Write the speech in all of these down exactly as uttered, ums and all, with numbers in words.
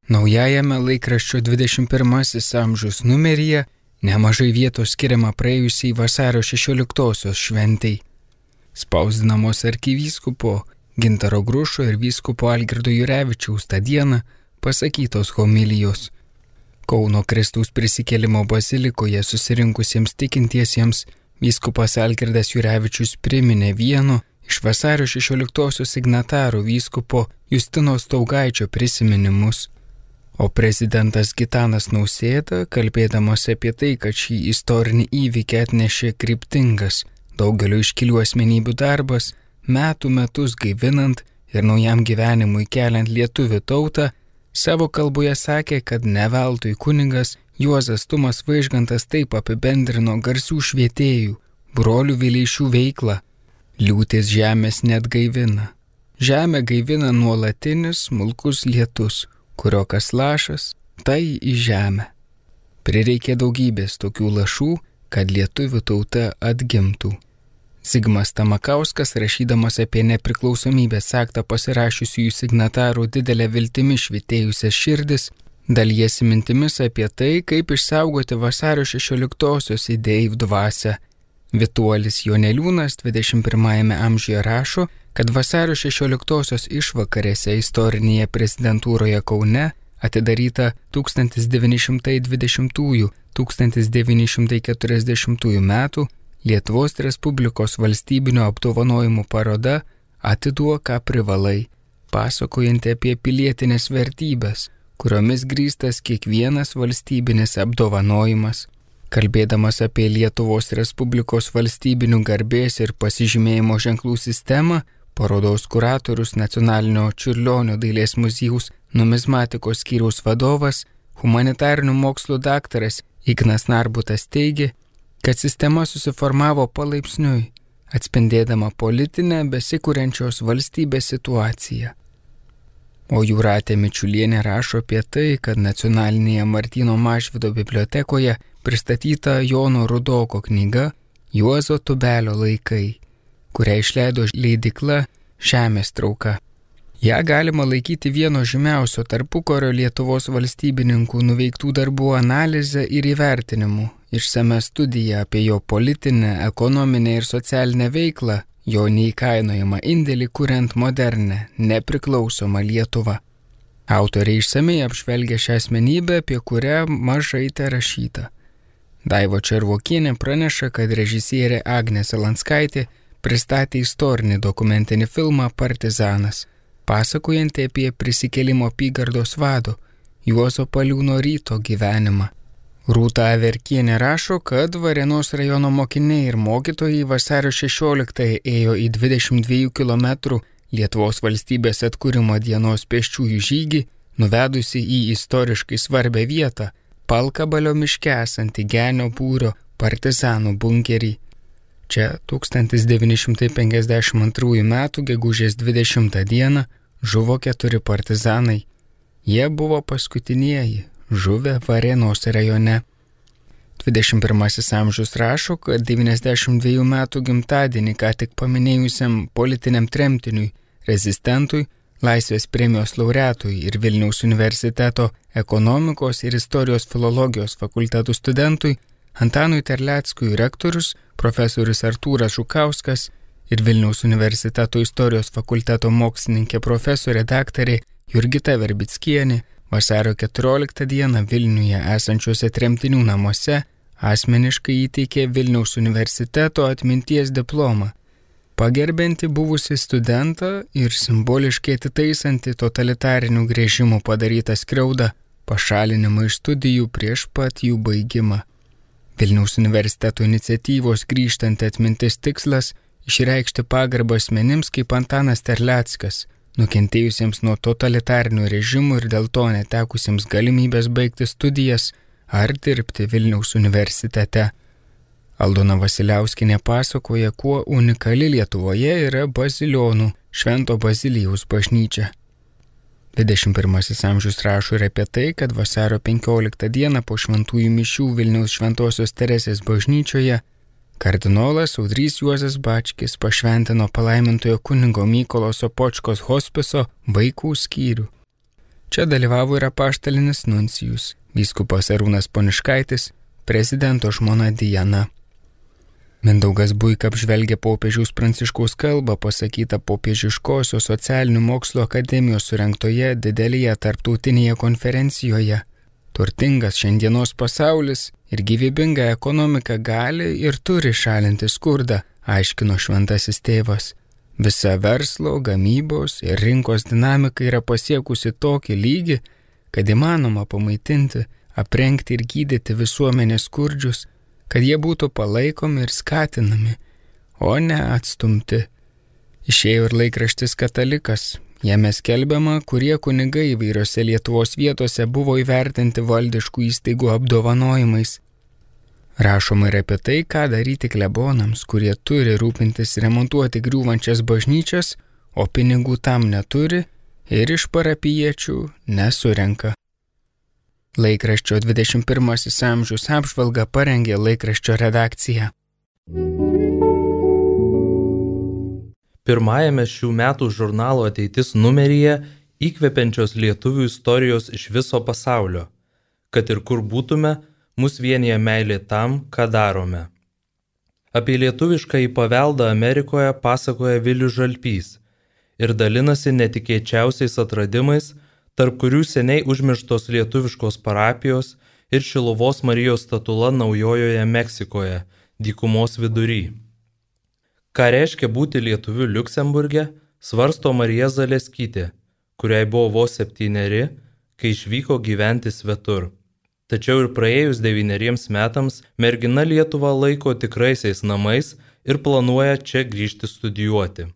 Naujajame laikraščio dvidešimt pirmasis amžius numeryje nemažai vietos skiriama praėjusiai vasario šešioliktosios šventei. Spausdinamos arkivyskupo Gintaro Grušo ir vyskupo Algirdo Jurevičiaus tą dieną pasakytos homilijos. Kauno Kristaus prisikėlimo bazilikoje susirinkusiems tikintiesiems vyskupas Algirdas Jurevičius priminė vieno iš vasario šešioliktosios signatarų vyskupo Justino Staugaičio prisiminimus. O prezidentas Gitanas Nausėda, kalbėdamas apie tai, kad šį istorinį įvykį atnešė kryptingas daugelio iškilių asmenybių darbas, metų metus gaivinant ir naujam gyvenimui keliant lietuvių tautą, savo kalboje sakė, kad ne veltui kunigas Juozas Tumas Vaižgantas taip apibendrino garsių švietėjų, brolių Vileišių veiklą. Liūtis žemės net gaivina. Žemę gaivina nuolatinis smulkus lietus, kurio kas lašas, tai į žemę. Prireikė daugybės tokių lašų, kad lietuvių tauta atgimtų. Zigmas Tamakauskas, rašydamas apie nepriklausomybės aktą pasirašiusiųjų signatarų didelę viltimi švytėjusias širdis, dalijasi mintimis apie tai, kaip išsaugoti vasario šešioliktosios idėjų dvasią. Vituolis Joneliūnas dvidešimt pirmajame amžiuje rašo, kad vasario šešioliktosios išvakarėse istorinėje prezidentūroje Kaune atidaryta tūkstantis devyni šimtai dvidešimtųjų - tūkstantis devyni šimtai keturiasdešimtųjų metų Lietuvos Respublikos valstybinio apdovanojimų paroda Atiduok, ką privalai, pasakojanti apie pilietinės vertybės, kuriomis grįstas kiekvienas valstybinis apdovanojimas. Kalbėdamas apie Lietuvos Respublikos valstybinių garbės ir pasižymėjimo ženklų sistemą, parodos kuratorius Nacionalinio Čiurlionio dailės muziejaus numizmatikos skyriaus vadovas, humanitarinių mokslų daktaras Ignas Narbutas teigė, kad sistema susiformavo palaipsniui, atspindėdama politinę besikuriančios valstybės situaciją. O Jūratė Mičiulienė rašo apie tai, kad Nacionalinėje Martyno Mažvydo bibliotekoje pristatyta Jono Rudoko knyga Juozo Tubelio laikai, kurią išleido leidykla Žemės trauka. Ja galima laikyti vieno žymiausio tarpukario Lietuvos valstybininkų nuveiktų darbų analizę ir įvertinimu, išsame studija apie jo politinę, ekonominę ir socialinę veiklą, jo neįkainojamą indėlį kuriant modernę, nepriklausomą Lietuvą. Autoriai išsamei apžvelgia šią asmenybę, apie kurią mažai te rašyta. Daiva Červokienė praneša, kad režisierė Agnė Salanskaitė pristatė istorinį dokumentinį filmą Partizanas, pasakojantį apie prisikėlimo apygardos vado Juozo Paliūno Ryto gyvenimą. Rūta Averkienė rašo, kad Varėnos rajono mokiniai ir mokytojai vasario šešioliktąją ėjo į dvidešimt dviejų kilometrų Lietuvos valstybės atkūrimo dienos pėsčiųjų žygį, nuvedusi į istoriškai svarbią vietą Palkabalio miške esantį Genio būrio partizanų bunkerį. Čia tūkstantis devyni šimtai penkiasdešimt antrųjų metų gegužės dvidešimtą dieną žuvo keturi partizanai. Jie buvo paskutinieji žuvę Varėnos rajone. dvidešimt pirmasis amžius rašo, kad devyniasdešimt dviejų metų gimtadienį ką tik paminėjusiam politiniam tremtiniui, rezistentui, Laisvės premijos laureatui ir Vilniaus universiteto ekonomikos ir istorijos filologijos fakultetų studentui Antanui Terleckui rektorius profesorius Artūras Žukauskas ir Vilniaus universiteto istorijos fakulteto mokslininkė profesorė daktarė Jurgita Verbickienė vasario keturioliktą dieną Vilniuje esančiuose tremtinių namuose asmeniškai įteikė Vilniaus universiteto atminties diplomą, pagerbianti buvusį studentą ir simboliškai atitaisanti totalitarinių grėžimų padarytą skriaudą, pašalinimą iš studijų prieš pat jų baigimą. Vilniaus universiteto iniciatyvos grįžtanti atmintis tikslas išreikšti pagarbą asmenims kaip Antanas Terleckas, nukentėjusiems nuo totalitarinių režimų ir dėl to netekusiems galimybės baigti studijas ar dirbti Vilniaus universitete. Aldona Vasiliauskinė pasakoja, kuo unikali Lietuvoje yra Bazilionų Švento Bazilijaus bažnyčia. dvidešimt pirmasis amžius rašo ir apie tai, kad vasario penkioliktą dieną po šventųjų mišių Vilniaus Šventosios Teresės bažnyčioje kardinolas Audrys Juozas Bačkis pašventino palaimintojo kunigo Mykolo Sopočkos hospiso vaikų skyrių. Čia dalyvavo ir apaštalinis nuncijus, vyskupas Arūnas Poniškaitis, prezidento žmona Diana. Mindaugas Buika apžvelgia popiežiaus Pranciškaus kalbą pasakytą Popiežiškosios socialinių mokslo akademijos surengtoje didelėje tarptautinėje konferencijoje. Turtingas šiandienos pasaulis ir gyvybinga ekonomika gali ir turi šalinti skurdą, aiškino šventasis tėvas. Visa verslo, gamybos ir rinkos dinamika yra pasiekusi tokį lygį, kad įmanoma pamaitinti, aprengti ir gydyti visuomenės skurdžius, kad jie būtų palaikomi ir skatinami, o ne atstumti. Išėjo ir laikraštis Katalikas. Jame skelbiama, kurie kunigai įvairiose Lietuvos vietose buvo įvertinti valdiškų įstaigų apdovanojimais. Rašoma ir apie tai, ką daryti klebonams, kurie turi rūpintis remontuoti griūvančias bažnyčias, o pinigų tam neturi ir iš parapijiečių nesurenka. Laikraščio dvidešimt pirmasis amžius apžvalgą parengė laikraščio redakcija. Pirmajame šių metų žurnalo Ateitis numeryje įkvepiančios lietuvių istorijos iš viso pasaulio. Kad ir kur būtume, mus vienija meilė tam, ką darome. Apie lietuviškąjį paveldą Amerikoje pasakoja Vilius Žalpys ir dalinasi netikėčiausiais atradimais, tarp kurių seniai užmirštos lietuviškos parapijos ir Šiluvos Marijos statula Naujojoje Meksikoje, dykumos vidury. Ką reiškia būti lietuviu Liuksemburge, svarsto Marija Zaleskytė, kuriai buvo vos septyneri, kai išvyko gyventi svetur. Tačiau ir praėjus devyneriems metams mergina Lietuvą laiko tikraisiais namais ir planuoja čia grįžti studijuoti.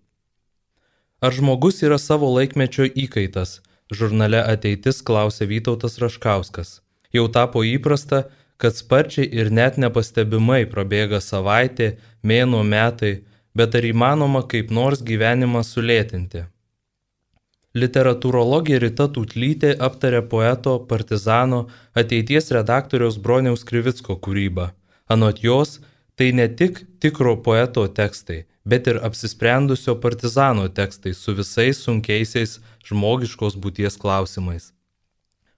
Ar žmogus yra savo laikmečio įkaitas? Žurnale Ateitis klausė Vytautas Raškauskas. Jau tapo įprasta, kad sparčiai ir net nepastebimai prabėga savaitė, mėnuo, metai, bet ar įmanoma kaip nors gyvenimą sulėtinti? Literatūrologė Rita Tutlytė aptarė poeto, partizano, ateities redaktoriaus Broniaus Krivicko kūrybą. Anot jos, tai ne tik tikro poeto tekstai, bet ir apsisprendusio partizano tekstai su visais sunkiaisiais žmogiškos būties klausimais.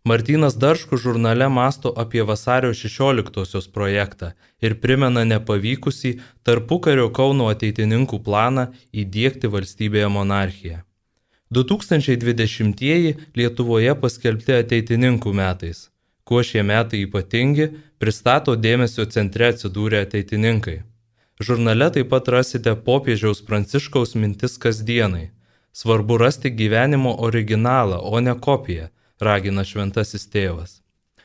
Martynas Darškus žurnale mąsto apie vasario šešioliktosios projektą ir primena nepavykusį tarpukario Kauno ateitininkų planą įdiegti valstybėje monarchiją. du tūkstančiai dvidešimtieji Lietuvoje paskelbti ateitininkų metais. Kuo šie metai ypatingi, pristato dėmesio centre atsidūrę ateitininkai. Žurnale taip pat rasite popiežiaus Pranciškaus mintis kasdienai. Svarbu rasti gyvenimo originalą, o ne kopiją, ragina šventasis tėvas.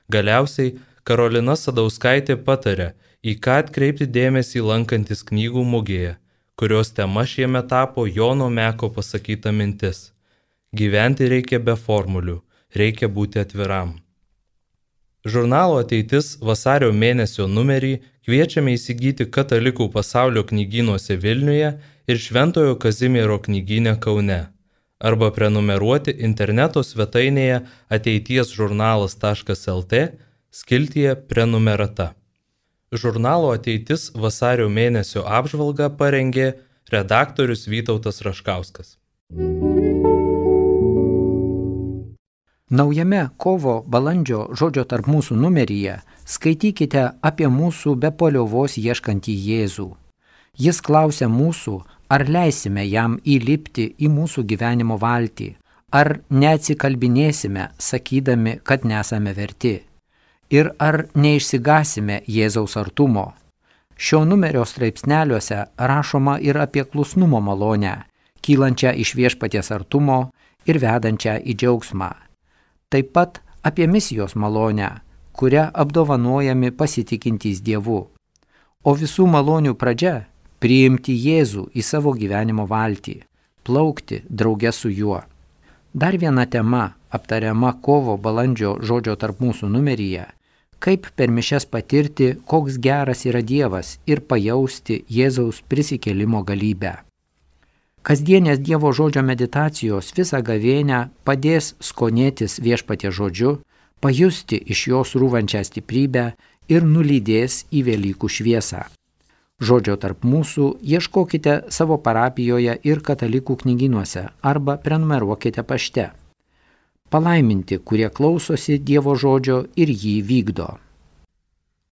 Galiausiai Karolina Sadauskaitė patarė, į ką atkreipti dėmesį lankantis knygų mugėje, kurios tema šiemet tapo Jono Meko pasakyta mintis. Gyventi reikia be formulių, reikia būti atviram. Žurnalo Ateitis vasario mėnesio numerį kviečiame įsigyti Katalikų pasaulio knygynuose Vilniuje ir Šventojo Kazimiero knygyne Kaune, arba prenumeruoti interneto svetainėje ateitiesžurnalas taškas lt skiltyje prenumerata. Žurnalo Ateitis vasario mėnesio apžvalgą parengė redaktorius Vytautas Raškauskas. Naujame kovo balandžio žodžio tarp mūsų numeryje skaitykite apie mūsų be paliovos ieškantį Jėzų. Jis klausia mūsų, ar leisime jam įlipti į mūsų gyvenimo valtį, ar neatsikalbinėsime, sakydami, kad nesame verti, ir ar neišsigasime Jėzaus artumo. Šio numerio straipsneliuose rašoma ir apie klusnumo malonę, kylančią iš viešpaties artumo ir vedančią į džiaugsmą. Taip pat apie misijos malonę, kuria apdovanojami pasitikintys Dievu. O visų malonių pradžia – priimti Jėzų į savo gyvenimo valtį, plaukti drauge su juo. Dar viena tema aptariama kovo balandžio žodžio tarp mūsų numeryje – kaip per mišias patirti, koks geras yra Dievas ir pajausti Jėzaus prisikėlimo galybę. Kasdienės Dievo žodžio meditacijos visą gavėnią padės skonėtis viešpaties žodžiu, pajusti iš jos rūvančią stiprybę ir nulydės į Velykų šviesą. Žodžio tarp mūsų ieškokite savo parapijoje ir katalikų knygynuose arba prenumeruokite pašte. Palaiminti, kurie klausosi Dievo žodžio ir jį vykdo.